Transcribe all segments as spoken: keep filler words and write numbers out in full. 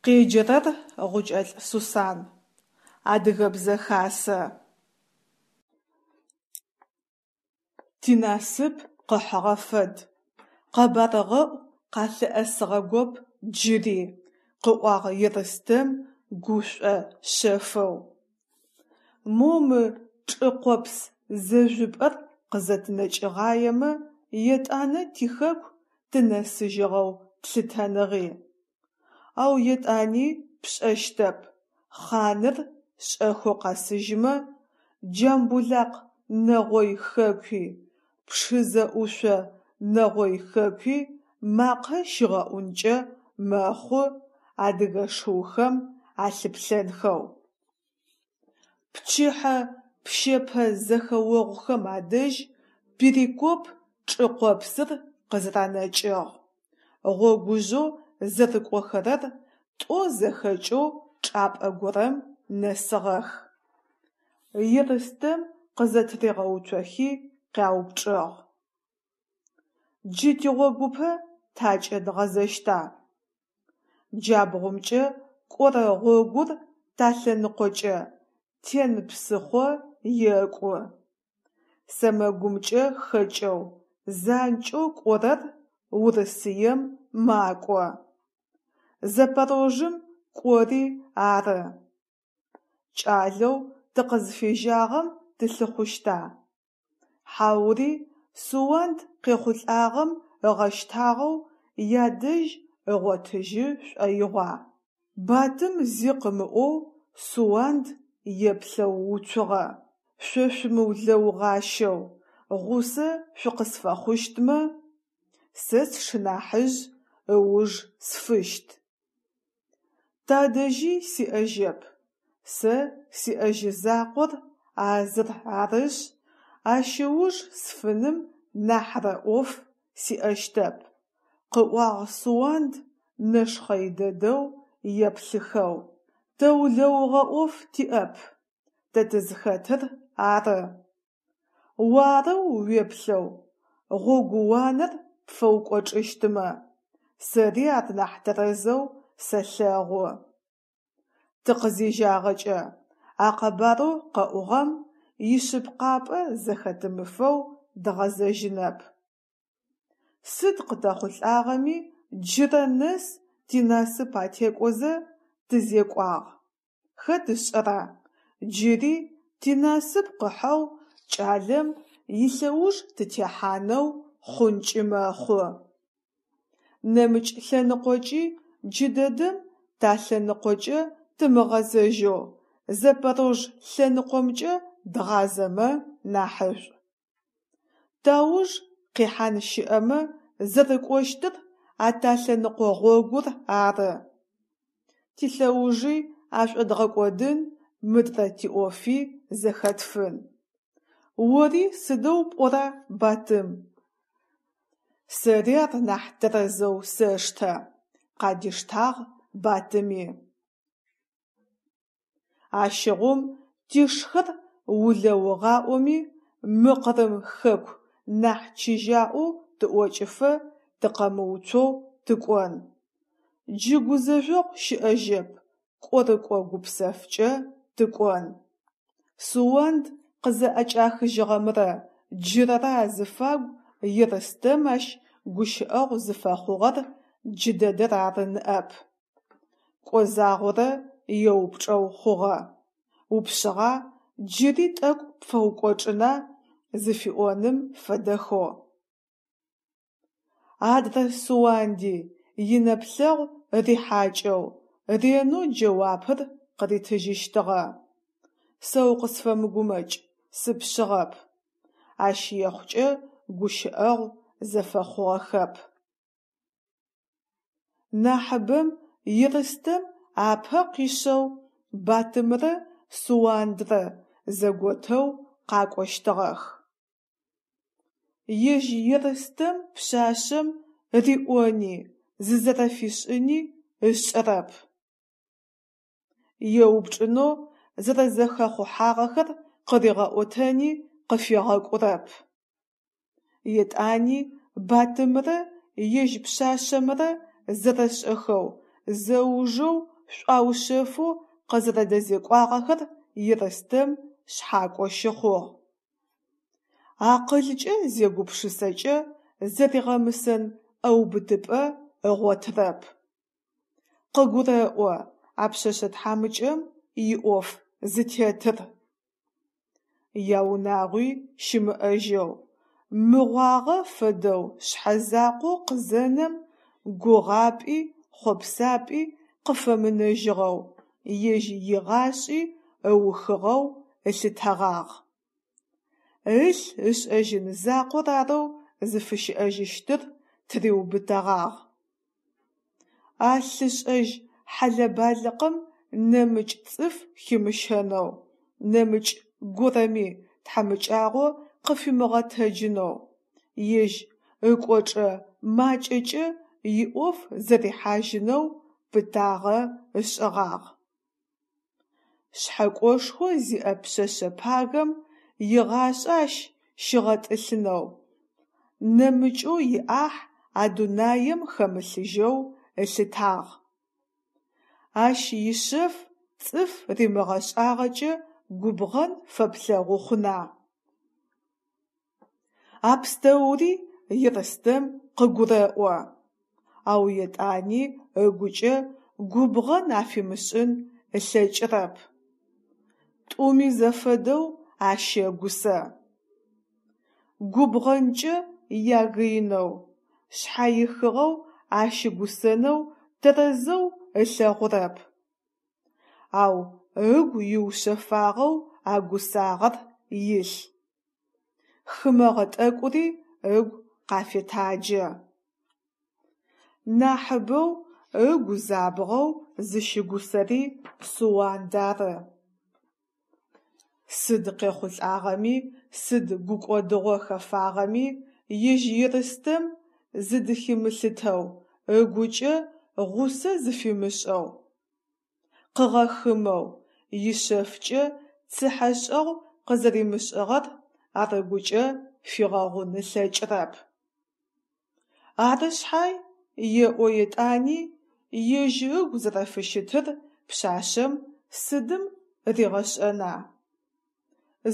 Къеджэрэр Гъукӏэлӏ Сусан. Адыгэбзэ хасэ. Тинасып къыхьыгъэ фэд, къэбаргъэӏу къалъыӏэсыгъэгоп джыри, – къыӏуагъ Ерстэм гушӏо шъэфэу. Мо мы чӏыкъопс зэжъупӏэр къызэтынэкӏыгъаемэ, етӏанэ тихэку тынэсыжьыгъэу тлъытэныгъи. Ау етӏани пшӏэщтэп, хъаныр шӏэхэу къэсыжьымэ, Джамбулакъ нэгъой хэкуи, Пшызэ ӏушъо нэгъой хэкуи макъэ щигъэӏункӏэ мэхъу адыгэ шыухэм алъыплъэнхэу. Пчыхьэ пщэпэ зэхэогъухэм адэжь Перекоп чӏыкъопсыр къызэранэкӏыгъ, гъогужъэу зэрыкӏохэрэр тӏо зэхэкӏэу чӏапӏэ горэм нэсыгъэх. Ерстэм къызэтыригъэуцохи къяупчӏыгъ: «Джы тигъогупэ такӏэ дгъэзэщта? Джабгъумкӏэ кӏорэ гъогур талъэныкъокӏэ, Тен псыхъо екӏу. Сэмэгумкӏэ хэкӏэу, занкӏэу кӏорэр Урысыем макӏо, Запорожым кӏори ары. Кӏалэу тыкъызфежьагъэм тылъыхъущта, хьаури Суанд къехъулӏагъэм ыгъэщтагъэу ядэжь ыгъотыжьы шӏоигъуа? Батым зи къымыӏоу Суанд еплъэу уцугъэ. Шъо шъумыулэугъащэу, гъусэ шъукъысфэхъущтмэ, сэ сшынахьыжъ ыуж сфыщт. Тадэжьи сиӏэжьэп, сэ сиӏэжьы закъор а зыр арышъ, ащ ыуж сфыным нахьрэ ӏоф сиӏэщтэп, – къыӏуагъ Суанд нэшхъэй дэдэу еплъыхэу. Тэ улэугъэ ӏоф тиӏэп, тэ тызхэтыр ары. О арэу уеплъэу гъогууанэр пфэукӏочӏыщтмэ, сэри ар нахь тэрэзэу сэлъэгъу. Тыкъызежьагъэкӏэ, а къэбарэу къэӏугъэм ишъыпкъапӏэ зэхэтымыфэу дгъэзэжьынэп. Сыд къытэхъулӏагъэми джырэ нэс тинасып атекӏозэ тызекӏуагъ, хэт ышӏэра, джыри тинасып къыхьэу кӏалэм илъэуж тытехьанэу хъункӏи мэхъу. Нэмыкӏ лъэныкъокӏи джыдэдэм талъэныкъокӏэ тымыгъэзэжьэу Запорож лъэныкъомкӏэ дгъазэмэ нахьышӏу. Тауж къихьан щыӏэмэ зэрыкӏощтыр а талъэныкъо гъогур ары. Тилъэужи ашӏодгъэкӏодын, мыдрэ тиӏофи зэхэтфын. Ори сыдэу пӏора, Батым? Сэри ар нахь тэрэзэу сэштэ, – къадиштагъ Батыми. Ащыгъум тишхэр улэугъаӏоми, мы Къырым хэку нахь чыжьаӏоу тыӏокӏыфэ тыкъэмыуцоу тыкӏон. Джы гузэжъогъу щыӏэжьэп, кӏорыкӏо гупсэфкӏэ тыкӏон. Суанд къызэӏэкӏахыжьыгъэмрэ джырырэ азыфагу Ерстэм ащ гущыӏэгъу зыфэхъугъэр джыдэдэр ары ныӏэп. Кӏо загъорэ еупчӏэу хъугъэ: «Упшъыгъа, джыри тӏэкӏу пфэукӏочӏына?» зыфиӏоным фэдэхэу. Адрэ Суанди инэплъэгъу рихьакӏэу ренэу джэуапыр къыритыжьыщтыгъэ: «Сэ укъысфэмыгумэкӏ, сыпшъыгъэп». Ащ ехъукӏэ гущыӏэгъу зэфэхъугъэхэп. Нахьыбэм Ерстэм апэ къишъэу Батымрэ Суандрэ зэготэу къакӏощтыгъэх. Ежь Ерстэм пшъашъэм риӏони зызэрэфишӏыни ышӏэрэп. Еупчӏынэу зэрэзэхэхъухьагъэхэр къыригъэӏотэни къыфегъэкӏурэп. Етӏани Батымрэ ежь пшъашъэмрэ зэрэшӏэхэу зэужэу шӏуаушъэфэу къызэрэдэзекӏуагъэхэр Ерстэм шъхьакӏо щыхъугъ. Акъылкӏэ зегупшысэкӏэ, зэригъэмысэн ӏэубытыпӏэ ыгъотырэп. Къыгурэӏо а пшъэшъэ тхьамыкӏэм иӏоф зытетыр. Яунагъуи щымыӏэжьэу, мыгъуагъэ фэдэу шъхьэзакъоу къызенэм, гугъапӏи хъопсапӏи къыфэмынэжьыгъэу, ежь игъашӏи ыухыгъэу ылъытэгъагъ. Ылъ ышӏэжьын закъор арэу зыфыщыӏэжьыщтыр тыриубытэгъагъ. А лъышӏэжь хьэлэ-балыкъым нэмыкӏ цӏыф химыщэнэу, нэмыкӏ горэми тхьамыкӏагъо къыфимыгъэтэджынэу, ежь ыкӏочӏэ макӏэкӏэ иӏоф зэрихьажьынэу пытагъэ ышӏыгъагъ. Шъхьэкӏошхо зиӏэ пшъэшъэ пагэм игъашӏэ ащ щигъэтӏылъынэу, нэмыкӏэу иӏахь а дунаем хэмылъыжьэу ылъытагъ. Ащ ишъэф цӏыф римыгъэшӏагъэкӏэ губгъэн фэплъэгъу хъуна? А пстэури Ерстэм къыгурэӏо, ау етӏани ыгукӏэ губгъэн афимышӏын ылъэкӏырэп. Тӏуми зэфэдэу ащэгусэ. Губгъэнкӏэ ягыинэу, шъхьаихыгъэу ащыгусэнэу тэрэзэу ылъэгъурэп. Ау ыгу иушъэфагъэу а гусагъэр илъ. Хымэгъэ тӏэкӏури ыгу къафетаджэ. Нахьыбэу ыгу забгъэу зыщыгусэри Суанд ары. Сыд къехъулӏагъэми, сыд гукӏодыгъо хэфагъэми, ежь Ерстэм зыдыхимылъытэу, ыгукӏэ гъусэ зыфимышӏэу, къыгъэхымэу, ишъэфкӏэ цыхьэшӏэгъу къызэримышӏыгъэр ар ыгукӏэ фигъэгъун ылъэкӏырэп. Ары шъхьай, еӏо етӏани, ежь ыгу зэрэфыщытыр пшъашъэм сыдым ригъэшӏэна?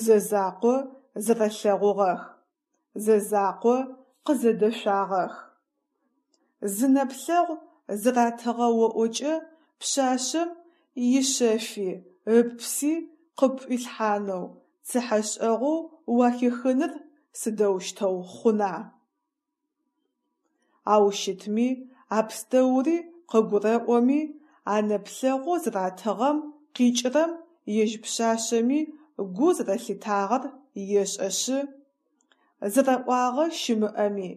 Зэ закъо зэрэлъэгъугъэх, зэ закъо къызэдэшъуагъэх. Зы нэплъэгъу зэратыгъэ оӏокӏэ пшъашъэм ишъэфи ыпси къыпӏуилъхьанэу, цыхьэшӏэгъоу уахихыныр сыдэущтэу хъуна? Ау щытми, а пстэури къыгурэӏоми, а нэплъэгъоу зэратыгъэм къикӏырэм ежь пшъашъэми гу зэрэлъитагъэр ешӏэшъы, зэраӏуагъэ щымыӏэми,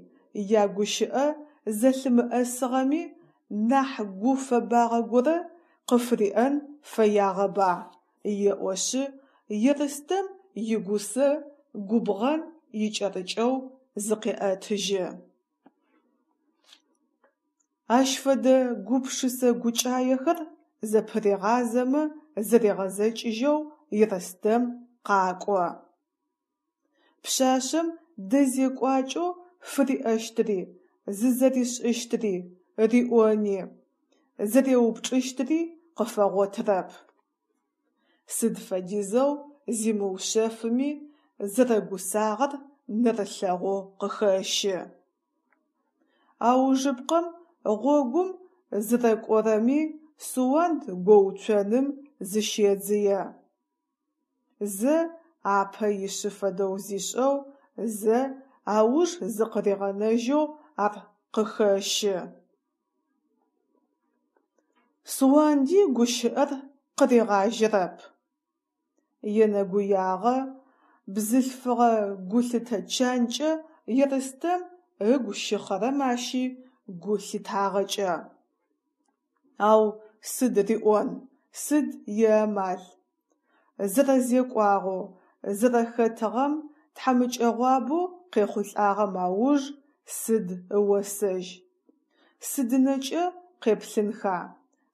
ягущыӏэ зэлъымыӏэсыгъэми нахь гу фэбагъэ горэ къыфыриӏэн фэягъэба, еӏошъы, Ерстэм игусэ губгъэн икӏэрыкӏэу зыкъеӏэтыжьы. Ащ фэдэ гупшысэ-гукӏаехэр зэпыригъазэмэ зэригъэзэкӏыжьэу Ерстэм къакӏо. Пшъашъэм дэзекӏуакӏэу фыриӏэщтыри, зызэришӏыщтыри, риӏони, зэреупчӏыщтыри къыфэгъотырэп. Сыд фэдизэу зимыушъэфыми, зэрэгусагъэр нэрылъэгъоу къыхэщы. Аужыпкъэм гъогум зырэкӏорэми Суанд гоуцоным зыщедзые. Зэ апэ ишъы фэдэу зишӏэу, зэ ауж зыкъыригъэнэжьэу ар къыхэщы. Суанди гущыӏэр къыригъажьэрэп. Енэгуягъо бзылъфыгъэ гулъытэ чанкӏэ Ерстэм ыгу щыхъэрэм ащи гу лъитагъэкӏэ. Ау сыд риӏон, сыд иамал? Зэрэзекӏуагъэу, зэрэхэтыгъэм, тхьамыкӏэгъуабэу къехъулӏагъэм ауж сыд ыосэжь, сыдынэкӏэ къеплъынха,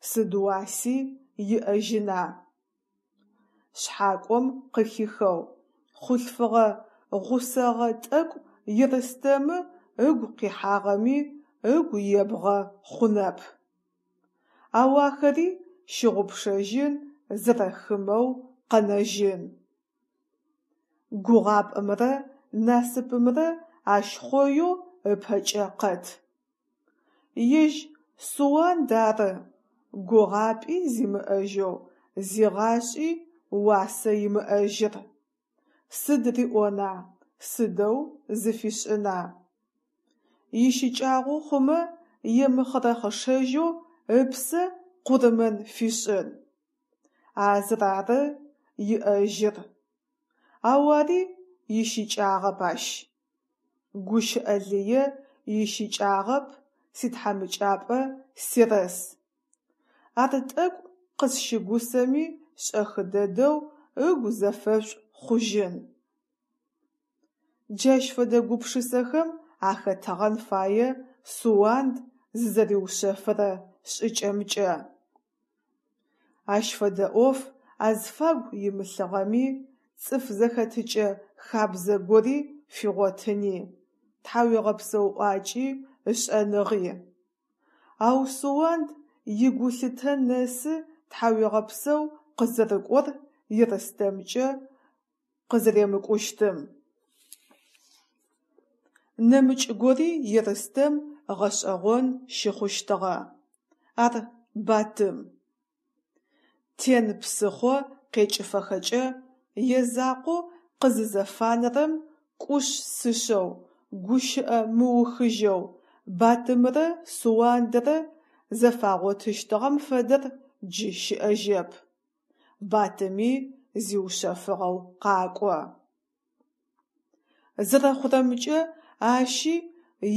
сыд уаси иӏэжьына? Шъхьакӏом къыхихэу, хъулъфыгъэ гъусэгъэ тӏэкӏу Ерстэмы ыгу къихьагъэми ыгу ебгъэ хъунэп. Ау ахэри щыгъупшэжьын, зэрэхымэу къэнэжьын. Гугъапӏэмрэ насыпымрэ ащ хъоеу ыпэкӏэ къэт. Ежь Суанд ары гугъапӏи зимыӏэжьэу, зигъашӏи уасэ имыӏэжьыр. Сыд риӏона, сыдэу зыфишӏына? Ищыкӏагъэу хъумэ емыхъырэхъышэжьэу ыпсэ къурмэн фишӏын. А зыр ары иӏэжьыр. Ау ари ищыкӏагъэп ащ. Гущыӏэ лые ищыкӏагъэп ситхьамыкӏапӏэ серэс. Ар тӏэкӏу къысщыгусэми шӏэхы дэдэу ыгу зэфэшӏу хъужьын. Джащ фэдэ гупшысэхэм ахэтыгъэн фае Суанд зызэриушъэфырэ шӏыкӏэмкӏэ. Ащ фэдэ ӏоф азфагу имылъыгъэми, цӏыф зэхэтыкӏэ хабзэ гори фигъотыни, тхьауегъэпсэу ӏуакӏи ышӏэныгъи. Ау Суанд игулъытэ нэсы тхьауегъэпсэу къызэрыкӏор Ерстэмкӏэ къызэремыкӏущтым. Нэмыкӏ гори Ерстэм гъэшӏэгъон щыхъущтыгъэ. Ар Батым. Тен псыхъо къекӏыфэхэкӏэ язакъоу къызызэфанэрэм кӏушъ-сышъэу, гущыӏэ мыухыжьэу Батымрэ Суандэрэ зэфагъотыщтыгъэм фэдэр джы щыӏэжьэп. Батыми зиушъэфыгъэу къакӏо. Зэрэхъурэмкӏэ ащи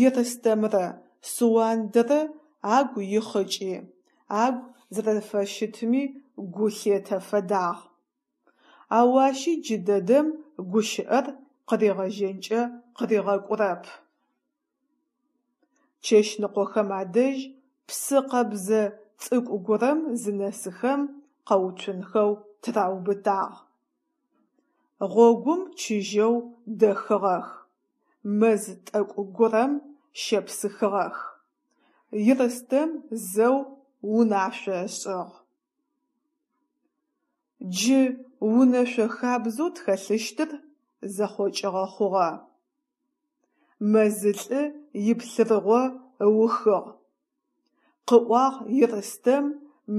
Ерстэмрэ Суандэрэ агу ихъыкӏи, агу зэрэфыщытми гу лъетэ фэдагъ. Ау ащи джыдэдэм гущыӏэр къыригъэжьэнкӏэ къыригъэкӏурэп. Чэщныкъохэм адэжь псы къэбзэ цӏыкӏу горэм зынэсыхэм къэуцунхэу тыраубытагъ. Гъогум чыжьэу дэхыгъэх, мэз тӏэкӏу горэм щепсыхыгъэх. Ерстэм зэу унашъо ышӏыгъ. Джы унэшъо хабзэу тхэлъыщтыр зэхъокӏыгъэ хъугъэ. Мэзылӏы иплъырыгъо ыухыгъ, къыӏуагъ Ерстэм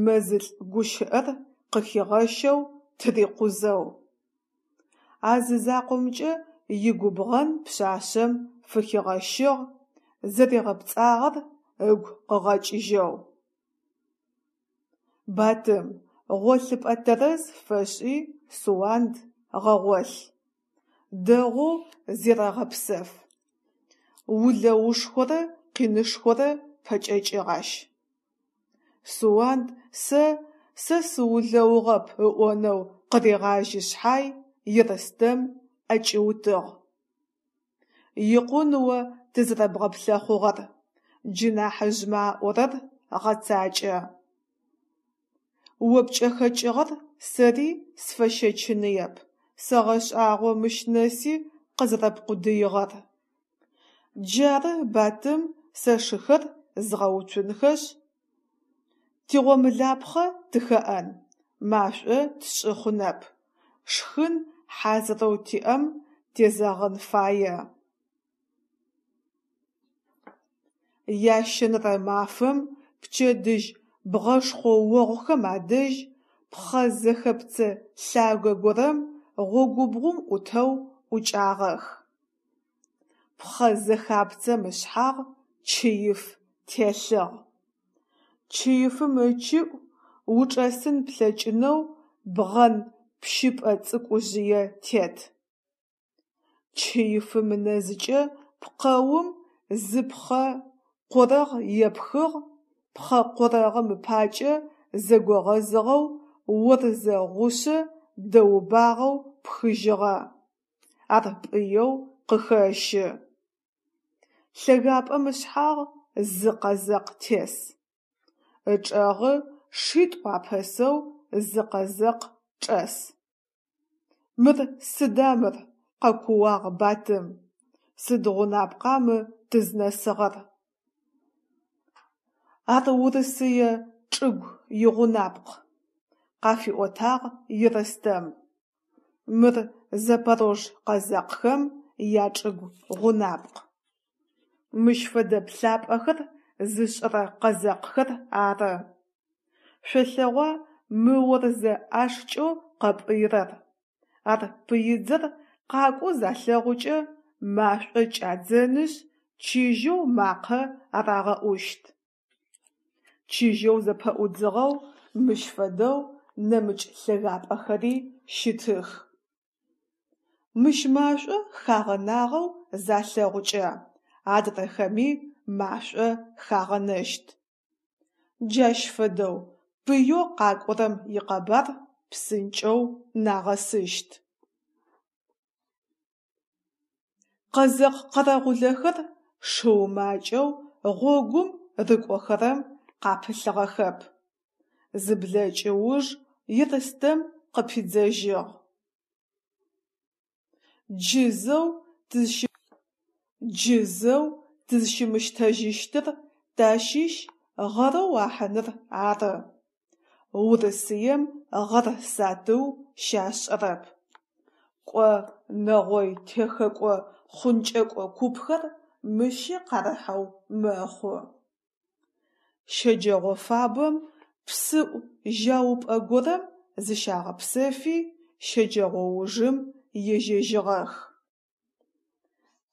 мэзылӏ гущыӏэр къыхигъэщэу тырикъузэу. А зы закъомкӏэ игубгъэн пшъашъэм фыхигъэщыгъ, зэригъэпцӏагъэр ыгу къыгъэкӏыжьэу. Батым, гъолъыпӏэ тэрэз фэшӏи Суанд гъэгъолъ. Дэгъоу зерэгъэпсэф. Улэушхорэ къинышхорэ пэкӏэкӏыгъ ащ. Суанд сэ сэ сыулэугъэп ыӏонэу къырегъажьи шъхьай, Ерстэм ӏэкӏиутыгъ. Икъун о тызэрэбгъэплъэхъугъэр, джы нахьыжъмэ аӏорэр гъэцакӏэ. О пкӏэхэкӏыгъэр сэри сфэщэчыныеп, сэгъэшӏагъо мыщ нэси къызэрэпкъудыигъэр. Джары, Батым, сэ шыхэр згъэуцунхэшъ, тигъомылапхъэ тыхэӏэн, машӏо тшӏы хъунэп, шхын хьазырэу тиӏэм тезэгъын фае. Ящэнэрэ мафэм пчэдыжь бгъэшхъоогъухэм адэжь пхъэ зэхэпцэ лъагэ горэм гъогубгъум ӏутэу ӏукӏагъэх. Пхъэ зэхапцэм ышъхьагъ чыиф телъыгъ. Чыифым ыкӏыӏу учӏэсын плъэкӏынэу бгъэн пщыпӏэ цӏыкӏужъые тет. Чыифым ынэзыкӏэ пкъэум зы пхъэ къорэгъ епхыгъ, пхъэ къорэгъым ыпакӏэ зэгогъэзыгъэу орзэ гъушъэ дэубагъэу пхыжьыгъэ, ар пӏыеу къыхэщы. Лъэгапӏэм ышъхьагъ зы къэзэкъ тес. Ычӏэгъы шитӏу апэсэу зы къэзэкъ чӏэс. Мыр сыда мыр! – къэкууагъ Батым, – сыд гъунапкъа мы тызнэсыгъэр? Ар Урысые чӏыгу игъунапкъ, къафиӏотагъ Ерстэм. Мыр запорож къэзэкъхэм ячӏыгу гъунапкъ. Мыщ фэдэ плъапӏэхэр зышӏырэ къэзэкъхэр ары. Шъолъэгъуа мы орзэ ӏашкӏэу къэпӏыйрэр? Ар пыидзэр къакӏоу залъэгъукӏэ, машӏо кӏадзэнышъ, чыжьэу макъэ арагъэӏущт. Чыжьэу зэпэӏудзыгъэу мыщ фэдэу нэмыкӏ лъэгапӏэхэри щытых. Мыщ машӏо хагъэнагъэу залъэгъукӏэ, адрэхэми машӏо хагъэнэщт. Джащ фэдэу пыеу къакӏорэм икъэбар псынкӏэу нагъэсыщт. Къэзэкъ къэрэгъулэхэр шыу макӏэу гъогум рыкӏохэрэм къапылъыгъэхэп. Зыблэкӏы уж Ерстэм къыпидзэжьыгъ: Джы зэу Джы зэу тызщымыщтэжьыщтыр тащыщ гъэрэу ахьыныр ары. Урысыем гъэр сатыу щашӏырэп. Кӏо, нэгъой техэкӏо-хъункӏэкӏо купхэр мыщи къарыхьэу мэхъу. Щэджэгъо фабэм псыӏу жьаупӏэ горэм зыщагъэпсэфи, щэджэгъоужым ежьэжьыгъэх.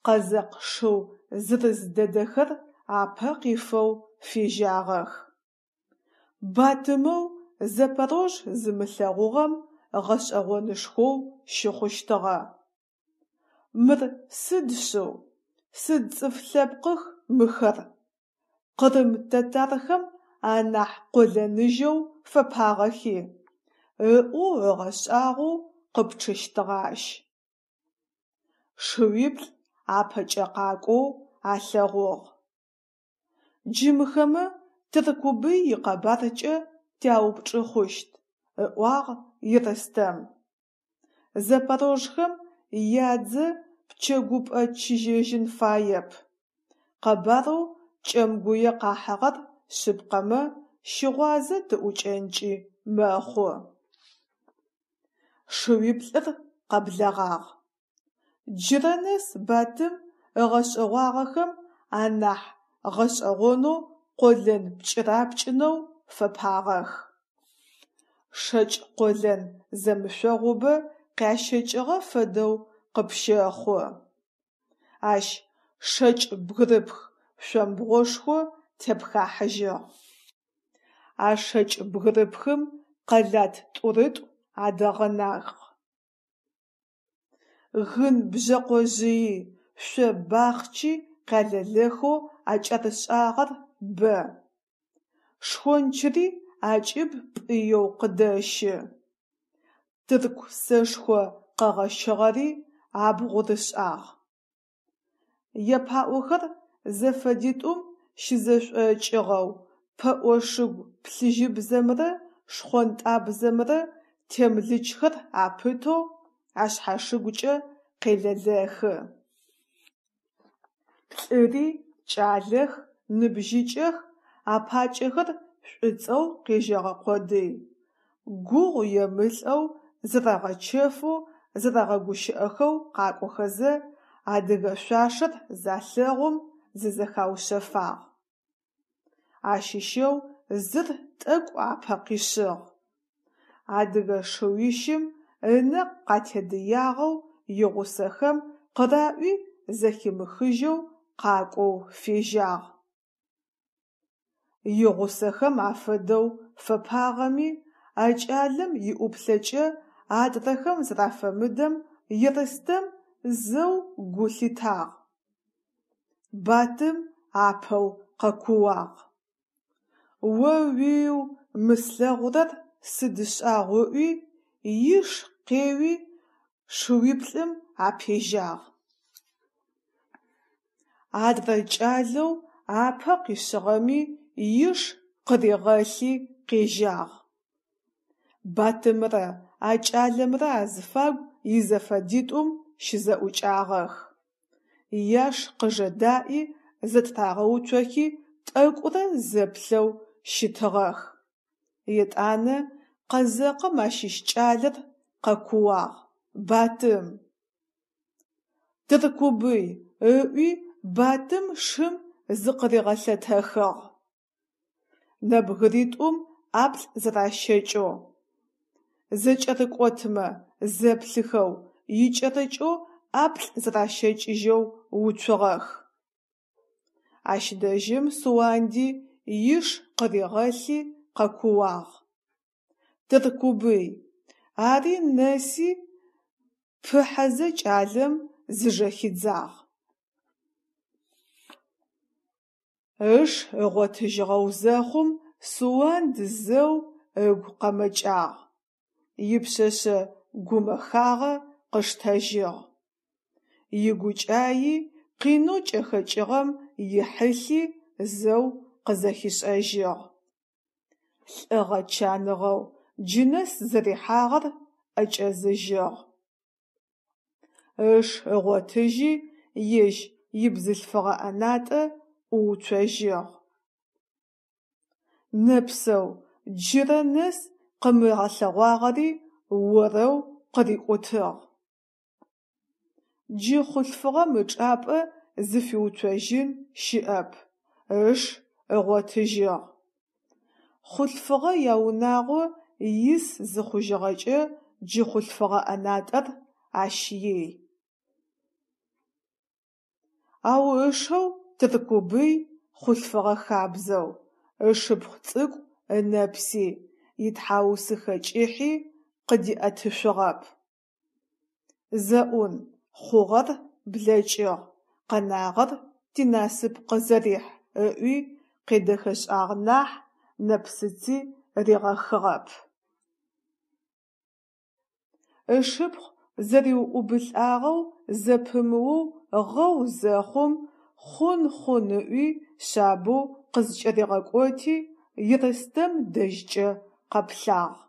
Къэзэкъ шыу зырыз дэдэхэр апэ къифэу фежьагъэх. Батымэу Запорож зымылъэгъугъэм гъэшӏэгъонышхоу щыхъущтыгъэ. Мыр сыд шъыу, сыд цӏыф лъэпкъых мыхэр, къырым татархэм анахь къолэныжьэу фэпагъэхи? Ыӏоу ыгъэшӏагъоу къыпчъыщтыгъэ ащ. Шыуиплӏ апэкӏэ къакӏоу алъэгъугъ. Джы мыхэмэ Тыркубый икъэбаркӏэ тяупчӏы хъущт, ыӏуагъ Ерстэм. Запорожхэм ядзэ пчэгупӏэ чыжьэжьын фаеп. Къэбарэу кӏэмгуе къахьыгъэр шъыпкъэмэ, щыгъуазэ тыӏукӏэнкӏи мэхъу. Шыуиплӏыр къэблэгъагъ. Джырэ нэс Батым ыгъэшӏэгъуагъэхэм анахь гъэшӏэгъонэу къолэн пкӏырапкӏынэу фэпагъэх. Шэкӏ къолэн зэмышъогъубэ къящэкӏыгъэ фэдэу къыпщэхъу. Ащ шэкӏ бгырыпх шъомбгъошхо тепхахьыжьыгъ. А шэкӏ бгырыпхым къэлат тӏурытӏу адэгъэнагъ. Гын бжъэкъожъыий, шъо бахъчи къялэлэхэу акӏэрышӏагъэр бэ. Шхончыри акӏыб пӏыеу къыдэщы. Тырку сэшхо къэгъэщыгъэри абгъу рышӏагъ. Япаӏохэр зэфэдитӏум щызэшӏокӏыгъэу, пэӏо шыгу плъыжьыбзэмрэ шхъонтӏабзэмрэ темлычхэр апытэу ашъхьашыгукӏэ къелэлэхы. Плӏыри кӏалэх, ныбжьыкӏэх, апакӏэхэр шӏуцӏэу къежьэгъэ къодый, гугъу емылӏэу, зэрэгъэчэфэу, зэрэгъэгущыӏэхэу къакӏохэзэ, адыгэ шъуашэр залъэгъум зызэхаушъэфагъ. Ащыщэу зыр тӏэкӏу апэ къишъыгъ. Адыгэ шыуищым ынэ къатедыягъэу игъусэхэм къыраӏуи зэхимыхыжьэу къакӏоу фежьагъ. Игъусэхэм афэдэу фэпагъэми, а кӏалэм иӏуплъэкӏэ адрэхэм зэрафэмыдэм Ерстэм зэу гу лъитагъ. Батым апэу къэкууагъ: О-уиу, мы слъэгъурэр сыд шӏагъу ыӏуи, иш къеуи шыуиплӏым апежьагъ. Адрэ кӏалэу апэ къишъыгъэми иш къыригъэлъи къежьагъ. Батымрэ а кӏалэмрэ азыфагу изэфэдитӏум щызэӏукӏагъэх. Яш къыжэдаӏи зэтырагъэуцохи тӏэкӏурэ зэплъэу щытыгъэх. Етӏанэ къэзэкъым ащыщ кӏалэр къэкууагъ: «Батым!» «Тыркубый!» – ыӏуи Батым шым зыкъыригъэлъэтэхыгъ. Нэбгыритӏум ӏаплӏ зэращэкӏэу, зэкӏэрыкӏотмэ зэплъыхэу, икӏэрыкӏэу ӏаплӏ зэращэкӏыжьэу уцугъэх. Ащ дэжьым Суанди иш къыригъэлъи къэкууагъ: «Тыркубый!» Ари нэси пыхьэзэ кӏалэм зыжэхидзагъ. Ыш ыгъотыжьыгъэу зэхъум Суанд зэу ыгу къэмэкӏагъ, ипшъэшъэ гумэхагъэ къыштэжьыгъ. Игукӏаи, къинэу кӏэхэкӏыгъэм ихьылъи зэу къызэхишӏэжьыгъ. Лӏыгъэ чаныгъэу джынэс зэрихьагъэр ӏэкӏэзыжьыгъ. Ыш ыгъотыжьи ежь ибзылъфыгъэ ӏэнатӏэ ӏууцожьыгъ. Нэпсэу джырэ нэс къымыгъэлъэгъуагъэри орэу къырикӏутыгъ. Джы хъулъфыгъэм ычӏапӏэ зыфиуцожьын щыӏэп – ыш ыгъотыжьыгъ. Хъулъфыгъэ яунагъо ис зыхъужьыгъэкӏэ джы хъулъфыгъэ ӏэнатӏэр ащ ей. Ау ышэу Тыркубый хъулъфыгъэ хабзэу, ышыпхъу цӏыкӏу ынэпси, итхьаусыхэ кӏыхьи къыдиӏэтышъугъэп. Зэӏун, хъугъэр блэкӏыгъ, къэнагъэр тинасып къызэрихь ыӏуи къедэхэшӏагъ нахь, нэпсыци ригъэхыгъэп. Ышыпхъу зэриуӏубылӏагъэу зэпымыоу гъэу зэхъум, хъун, хъун ыӏуи шъабэу къызкӏэригъэкӏоти, Ерстэм дэжькӏэ къэплъагъ.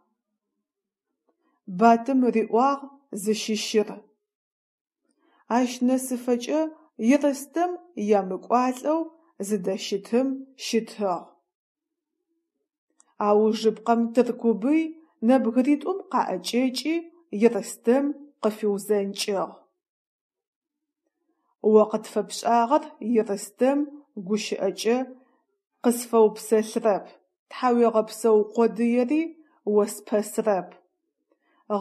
Батым риӏуагъ зыщыщыр. Ащ нэсыфэкӏэ Ерстэм ямыкӏуалӏэу зыдэщытым щытыгъ. Аужыпкъэм Тыркубый нэбгыритӏум къаӏэкӏэкӏи Ерстэм къыфиузэнкӏыгъ: «О къытфэпшӏагъэр, Ерстэм, гущыӏэкӏэ къысфэупсэлъырэп, тхьауегъэпсэу къодыери оспэсырэп,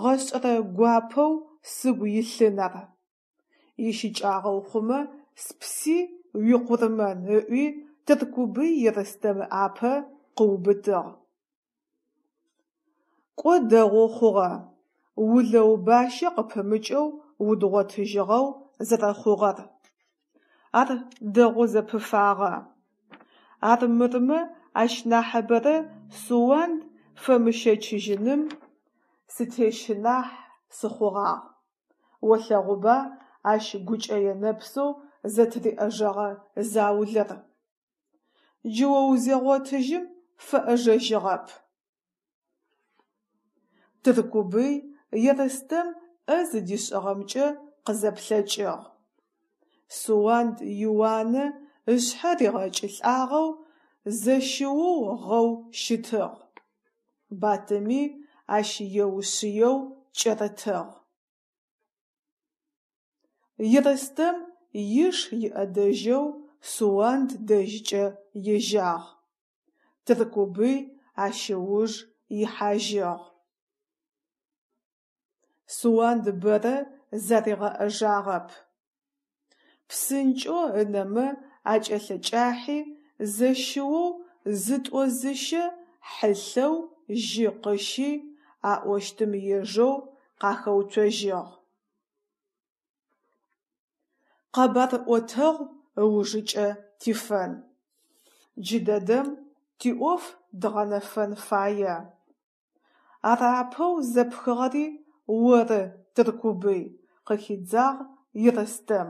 гъэшӏэрэ гуапэу сыгу илъын ар. Ищыкӏагъэу хъумэ спси уикъурмэн», – ыӏуи Тыркубый Ерстэм ыӏапэ къыубытыгъ. Кӏо дэгъоу хъугъэ, улэу бащэ къыпымыкӏэу удгъотыжьыгъэу зэрэхъугъэр. Ар дэгъоу зэпыфагъэ. Армырмэ ащ нахьыбэрэ Суанд фэмыщэчыжьыным сытещынахь сыхъугъагъ. Олъэгъуба ащ гукӏэе нэпсэу зэтыриӏэжэгъэ заулэр. Джы о узегъотыжьым фэӏэжэжьыгъэп. Тыркубый Ерстэм ӏэ зыдишӏыгъэмкӏэ къызэплъэкӏыгъ. Суанд иуанэ ышъхьэ ригъэкӏылӏагъэу зэщыоу гъэу щытыгъ. Батыми ащ еушъыеу кӏэрытыгъ. Ерстэм иш иӏэдэжьэу Суанд дэжькӏэ ежьагъ. Тыркубый ащ ыуж ихьажьыгъ. Суанд бэрэ заригъэӏэжагъэп. Псынкӏэу ынэмэ акӏэлъэкӏахьи, зэщыоу зытӏо-зыщэ хьылъэу жьы къыщи, аӏощтым ежэу къахэуцожьыгъ. Къэбар ӏотэгъу ыужыкӏэ тифэн. Джыдэдэм тиӏоф дгъэнэфэн фае. Ар апэу зэпхыгъэри оры, Тыркубый, – къыхидзагъ Ерстэм.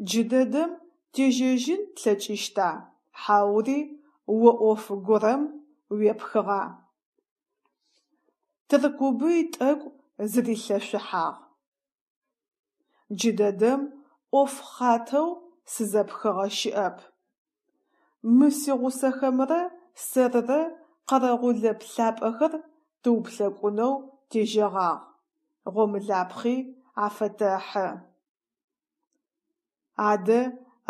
Джыдэдэм тежьэжьын тлъэкӏыщта, хьаури о ӏоф горэм уепхыгъа? Тыркубый тӏэкӏу зырилъэшъухьагъ. Джыдэдэм ӏоф хъатэу сызэпхыгъэ щыӏэп. Мы сигъусэхэмрэ сэрырэ Къэрэгъулэ плъапӏэхэр тыуплъэкӏунэу тежьэгъагъ, гъомылапхъи афэтэхьы. Адэ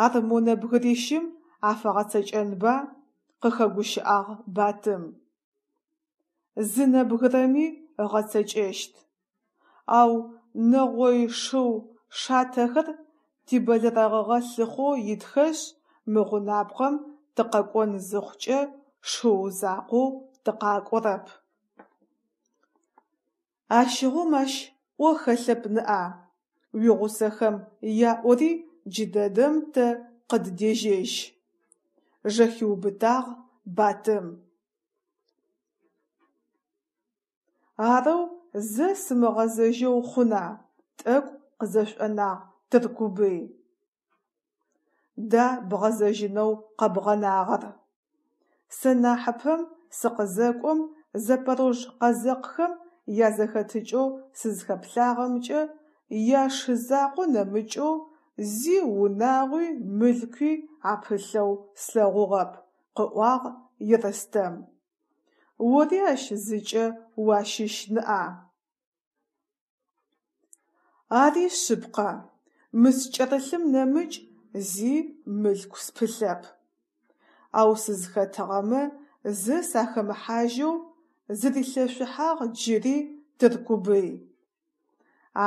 ар мо нэбгырищым афэгъэцэкӏэнба? – къыхэгущыӏагъ Батым. Зы нэбгырэми ыгъэцэкӏэщт. Ау нэгъой шыу шатэхэр тибэлэрэгъыгъэ лъыхъоу итхэшъ, мы гъунапкъэм тыкъэкӏон зыхъукӏэ шыу закъоу тыкъакӏорэп. Ащыгъум ащ ӏо хэлъэп ныӏа, уигъусэхэм яӏори джыдэдэм тэ къыддежьэжь, – жэхиубытагъ Батым. Арэу зэ сымыгъэзэжьэу хъуна, тӏэкӏу къызэшӏонагъ Тыркубый. Да бгъэзэжьынэу къэбгъэнагъэр? Сэ нахьыпэм сыкъызэкӏом запорож къэзэкъхэм язэхэтыкӏэу сызхэплъагъэмкӏэ, яшы закъо нэмыкӏэу зи унагъуи мылъкуи апылъэу слъэгъугъэп, къыӏуагъ Ерстэм. Ори ащ зыкӏэ уащыщ ныӏа? Ари шъыпкъэ, мы скӏэрылъым нэмыкӏ зи мылъку спылъэп. Ау сызхэтыгъэмэ зэ сахэмыхьажьэу, зырилъэшъухьагъ джыри Тыркубый.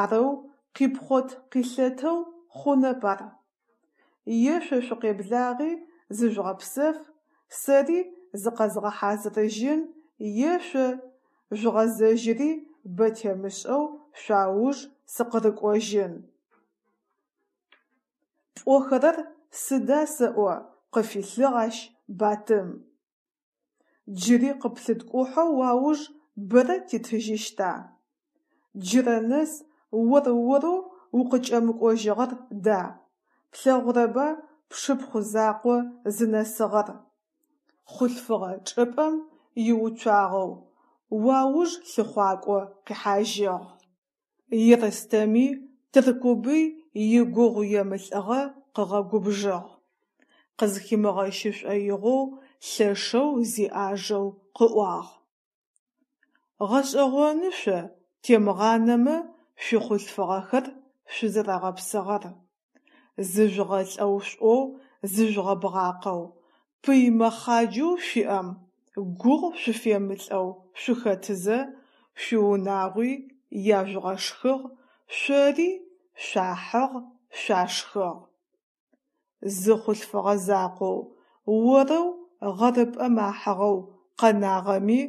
Арэу къипхъот-къилъэтэу хъунэп ар. Е шъо шъукъеблагъи зыжъугъэпсэф, сэри зыкъэзгъэхьазырыжьын, е шъо жъугъэзэжьыри бэ темышӏэу шъуауж сыкъырыкӏожьын. Пӏохэрэр сыда сэӏо, къыфилъыгъ ащ Батым. Джыри къыплъыткӏухьэу уауж бэрэ титыжьыщта? Джырэ нэс ор-орэу укъыкӏэмыкӏожьыгъэр да, плъэгъурэба пшыпхъу закъо зынэсыгъэр, хъулъфыгъэ чӏыпӏэм иуцуагъэу, уауж лъыхъуакӏо къихьажьыгъ. Ерстэми Тыркубый игугъуемылӏыгъэ къыгъэгубжыгъ, къызхимыгъэщы шӏоигъоу лъэшэу зиӏажэу къыӏуагъ: «Гъэшӏэгъоны шъо темгъанэмэ шъуихъулъфыгъэхэр шъузэрэгъэпсыгъэр: зыжъугъэлӏэу шъуӏоу зыжъугъэбгъакъэу, пый мэхъаджэу шъуиӏэм гугъу шъуфемылӏэу шъухэтызэ, шъуиунагъуи яжъугъэшхыгъ, шъори шъуахьыгъ, шъуашхыгъ. Зы хъулъфыгъэ закъоу, орэу гъэрыпӏэм ахьыгъэу къэнагъэми,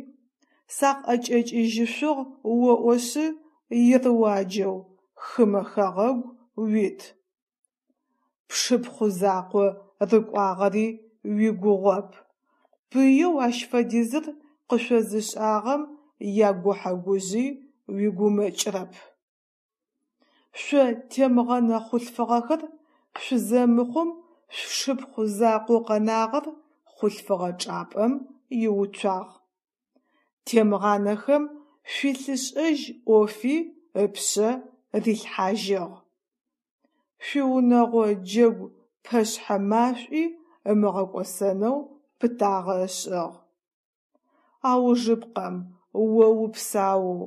сакъыӏэкӏэкӏыжьышъугъ оӏошъы ерыуаджэу хымэ хэгъэгу уит. Пшыпхъу закъо рыкӏуагъэри уигугъоп, пыеу ащ фэдизыр къышъозышӏагъэм ягухьэ-гужъи уигумэкӏырэп. Шъо темгъэнэ хъулъфыгъэхэр шъузэмыхъум шъушыпхъу закъоу къэнагъэр хъулъфыгъэ чӏапӏэм иуцуагъ. Темгъанэхэм шъуилъышӏэжь ӏофи ыпшъэ рилъхьажьыгъ. Шъуиунэгъо джэгу пэшъхьэ машӏуи ымыгъэкӏосэнэу пытагъэ ышӏыгъ. Аужыпкъэм, о упсаоу,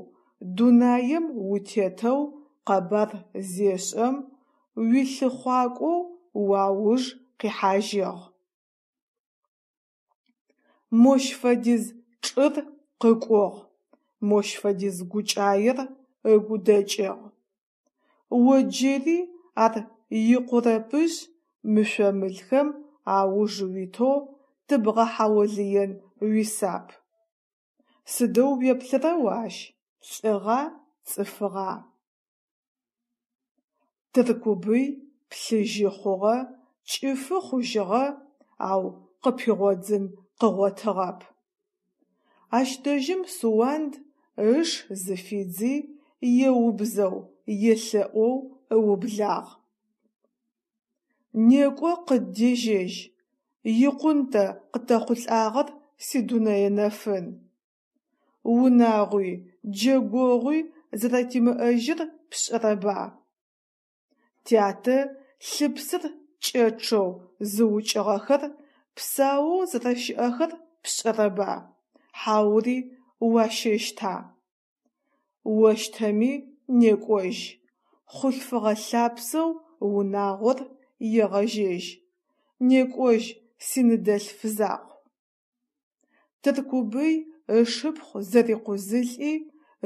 дунаем утетэу къэбар зешӏэм, уилъыхъуакӏоу уауж къихьажьыгъ. Мощ фэдиз чӏыр къыкӏугъ, мощ фэдиз гукӏаер ыгу дэкӏыгъ. О джыри ар икъурэпышъ мышъо-мылхэм ауж уитэу тыбгъэхьаулыен уисап. Сыдэу уеплъыра о ащ, лӏыгъа, цӏыфыгъа? Тыркубый плъыжьы хъугъэ, кӏыфы хъужьыгъэ, ау къыпигъодзын къыгъотыгъэп. Ащ дэжьым Суанд ыш зыфидзи, еубзэу, елъэӏоу ыублагъ: «Некӏо, къыддежьэжь, икъун тэ къытэхъулӏагъэр, си дунэе нэфын. Унагъуи, джэгъогъуи зэрэтимыӏэжьыр пшӏэрэба? Тятэ лъыпсыр кӏэчъэу зыукӏыгъэхэр псаоу зэрэщыӏэхэр пшӏэрэба, Хьаури уащэщта? Ощтэми некӏожь, хъулъфыгъэ лъапсэу унагъор егъэжьэжь, некӏожь, синыдэлъф закъу. Тыркубый ышыпхъу зэрикъузылӏи,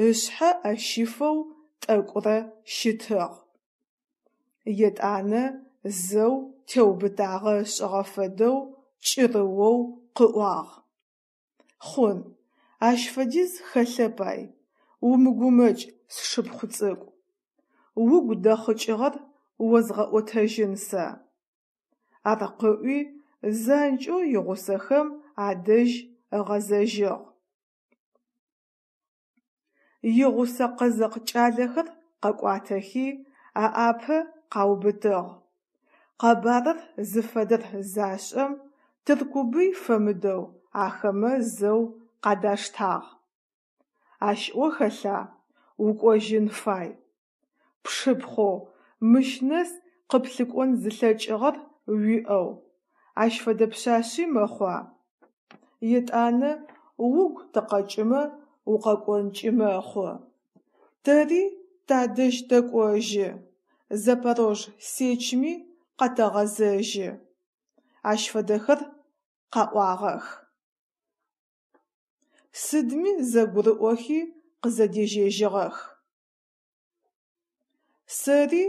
ышъхьэ ӏэ щифэу тӏэкӏурэ щытыгъ. Етӏанэ зэу теубытагъэ ышӏыгъэ фэдэу кӏырыоу къыӏуагъ: Хъун, ащ фэдиз хэлъэп ай, умыгумэкӏ, сшыпхъу цӏыкӏу. Угу дэхъыкӏыгъэр озгъэӏотэжьын сэ. Ар къыӏуи, занкӏэу игъусэхэм адэжь ыгъэзэжьыгъ. Игъусэ къэзэкъ кӏалэхэр къэкӏуатэхи, аӏапэ къаубытыгъ. Къэбарыр зыфэдэр зашӏэм, Тыркубый фэмыдэу ахэмэ зэу къадаштагъ. Ащ ӏо хэлъа, укӏожьын фай. Пшыпхъоу мыщ нэс къыплъыкӏон зылъэкӏыгъэр уиӏэу, ащ фэдэ пшъашъи мэхъуа? Етӏанэ угу тыкъэкӏымэ укъэкӏонкӏи мэхъу. Тэри тадэжь тэкӏожьы, Запорож Сечми къэтэгъэзэжьы. Ащ фэдэхэр къаӏуагъэх. Сыдми зэгурыӏохи къызэдежьэжьыгъэх. Сэри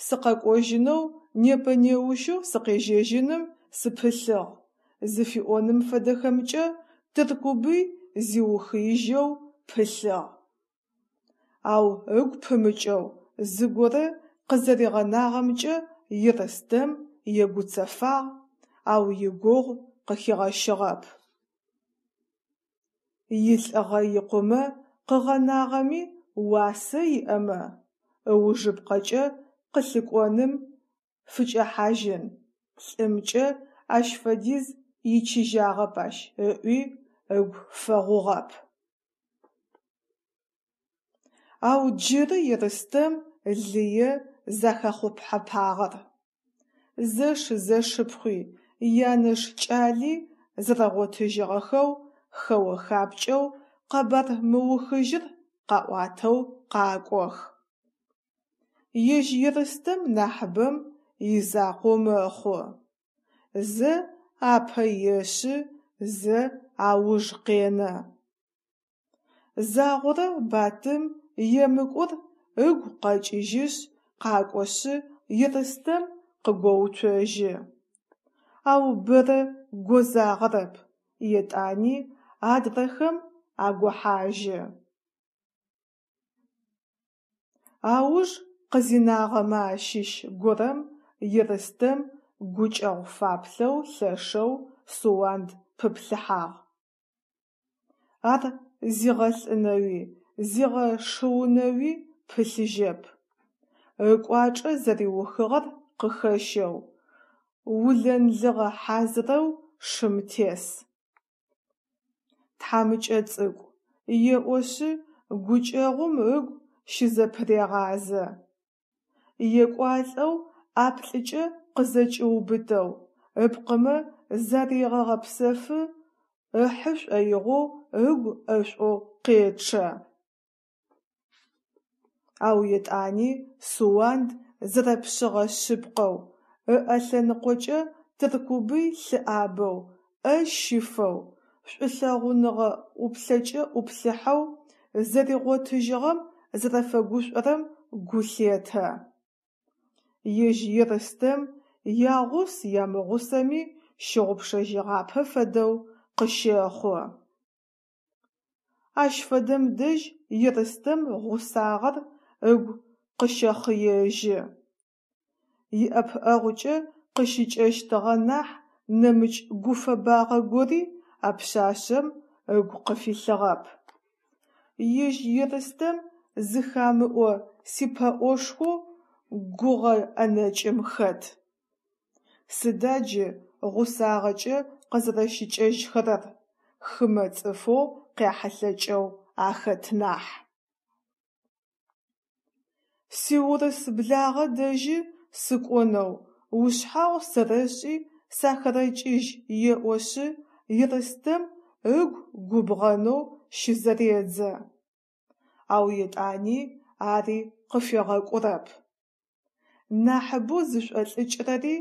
сыкъэкӏожьынэу непэ-неущэу сыкъежьэжьыным сыпылъыгъ зыфиӏоным фэдэхэмкӏэ Тыркубый зиухыижьэу пылъыгъ. Ау ыгу пымыкӏэу зыгорэ къызэригъэнагъэмкӏэ Ерстэм егуцэфагъ, ау игугъу къыхигъэщыгъэп. Илӏыгъэ икъумэ къыгъэнагъэми уасэ иӏэмэ, ыужыпкъэкӏэ къылъыкӏоным фыкӏэхьажьын, лӏымкӏэ ащ фэдиз ичыжьагъэп ащ ыӏуи ыгу фэгъугъэп. Ау джыры Ерстэм лые захэхъухьэпагъэр. Зэш-зэшыпхъуи, янэш кӏали зэрэгъотыжьыгъэхэу хэо-хапкӏэу къэбар мыухыжьыр къаӏуатэу къакӏох. Ежь Ерстэм нахьыбэм изакъоу мэхъу. Зэ апэ ешъы, зэ ауж къенэ. Загъорэ Батым емыкӏур ыгу къэкӏыжьышъ къакӏошъы Ерстэм къыгоуцожьы. Ау бэрэ гозагъэрэп, етӏани адрэхэм агохьажьы. Ауж къызинагъэмэ ащыщ горэм Ерстэм гукӏэгъу фаплъэу лъэшэу Суанд пыплъыхьагъ. Ар зигъэлӏынэуи зигъэшыунэуи пылъыжьэп. Ыкӏуачӏэ зэриухыгъэр къыхэщэу, улэнлыгъэ хьазырэу шым тес. Тхьамыкӏэ цӏыкӏу, еӏошъы гукӏэгъум ыгу щызэпырегъазэ. Екӏуалӏэу ӏаплӏыкӏэ къызэкӏиубытэу, ыпкъымэ зарегъэгъэпсэфы ыхьы шӏоигъоу ыгу ӏэшӏоу къечъэ. Ау етӏани Суанд зэрэпшъыгъэ шъыпкъэу, ыӏэ лъэныкъокӏэ Тыркубый лъыӏабэу, ӏэ щифэу, шӏулъэгъуныгъэ ӏуплъэкӏэ ӏуплъыхьэу, зэригъотыжьыгъэм зэрэфэгушӏорэм гу лъетэ. Ежь Ерстэм ягъус ямыгъусэми щыгъупшэжьыгъапэ фэдэу къыщэхъу. Ащ фэдэм дэжь Ерстэм гъусагъэр ыгу къыщэхъыежьы. Иӏэпыӏэгъукӏэ къыщыкӏэщтыгъэ нахь нэмыкӏ гуфэбагъэ гори а пшъашъэм ыгу къыфилъыгъэп. Ежь Ерстэм зыхамыӏо сипэӏошхоу гугъэ ӏэнэкӏым хэт. Сыда джы гъусагъэкӏэ къызэрэщыкӏэжьхэрэр, хымэ цӏыфэу къяхьылъэкӏэу ахэт нахь. Сиурыс благъэ дэжьы сыкӏонэу ушъхьагъу сэрэшӏи сахэрэкӏыжь еӏошъы Ерстэм ыгу губгъэнэу щызэредзэ. Ау етӏани ари къыфегъэкӏурэп. Нахьыбэу зышӏолӏыкӏырэри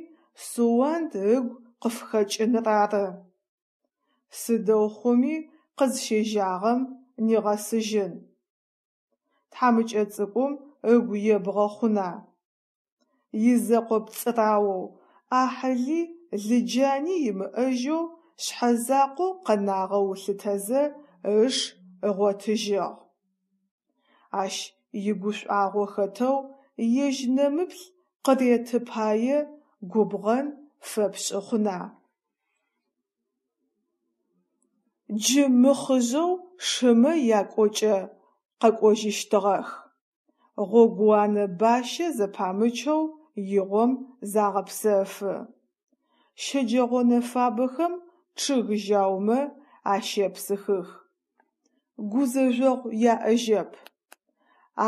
Суанд ыгу къыфыхэкӏыныр ары. Сыдэу хъуми къызщежьагъэм нигъэсыжьын. Тхьамыкӏэ цӏыкӏум ыгу ебгъэ хъуна? Изэкъо пцӏыраоу, ӏахьыли лыджани имыӏэжьэу шъхьэзакъоу къэнагъэу ылъытэзэ, ыш ыгъотыжьыгъ. Ащ игушӏуагъо хэтэу ежь нэмыплъ къыреты пае губгъэн фэпшӏы хъуна? Джы мыхъыжъэу шымэ якӏокӏэ къэкӏожьыщтыгъэх. Гъогууанэ бащэ зэпамычэу игъом загъэпсэфы. Щэджэгъонэ фабэхэм чъыг жьаумэ ащепсыхых. Гузэжъогъу яӏэжьэп.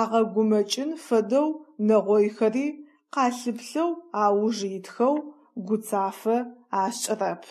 Агъэгумэкӏын фэдэу нэгъойхэри къалъыплъэу ауж итхэу гуцафэ ашӏырэп.